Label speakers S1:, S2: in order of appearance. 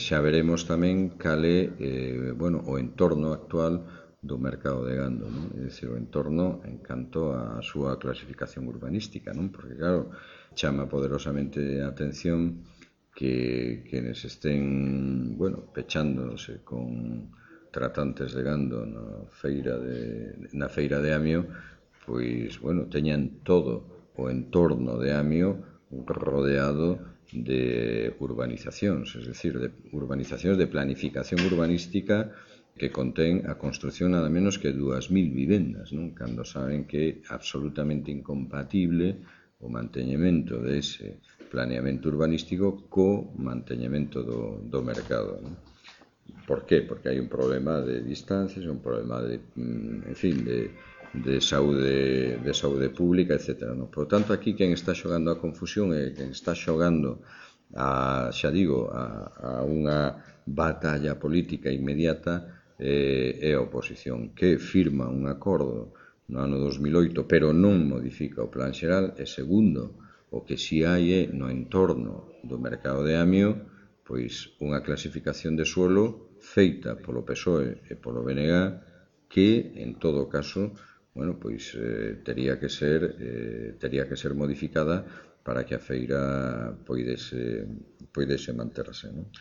S1: xa veremos tamén cal é o entorno actual do mercado de gando, non? É dicir, o entorno en canto á súa clasificación urbanística, non? Porque, claro, chama poderosamente a atención que estén, pechándose con tratantes de gando na feira de Amio, pois, teñan todo o entorno de Amio rodeado de urbanizacións, es decir, de urbanizacións de planificación urbanística que contén a construción nada menos que 2000 vivendas, non? Cando saben que é absolutamente incompatible o manteñemento dese planeamento urbanístico co manteñemento do mercado, non? Por qué? Porque hai un problema de distancias, un problema de saúde pública, etc. ¿No? Por tanto, aquí quen está xogando a confusión é quen está xogando a unha batalla política inmediata é a oposición, que firma un acordo no ano 2008, pero non modifica o plan xeral, e segundo, o que si hai é no entorno do mercado de Amio, pois unha clasificación de suelo feita polo PSOE e polo BNG que, en todo caso, tería que ser modificada para que a feira poidese manterse, non?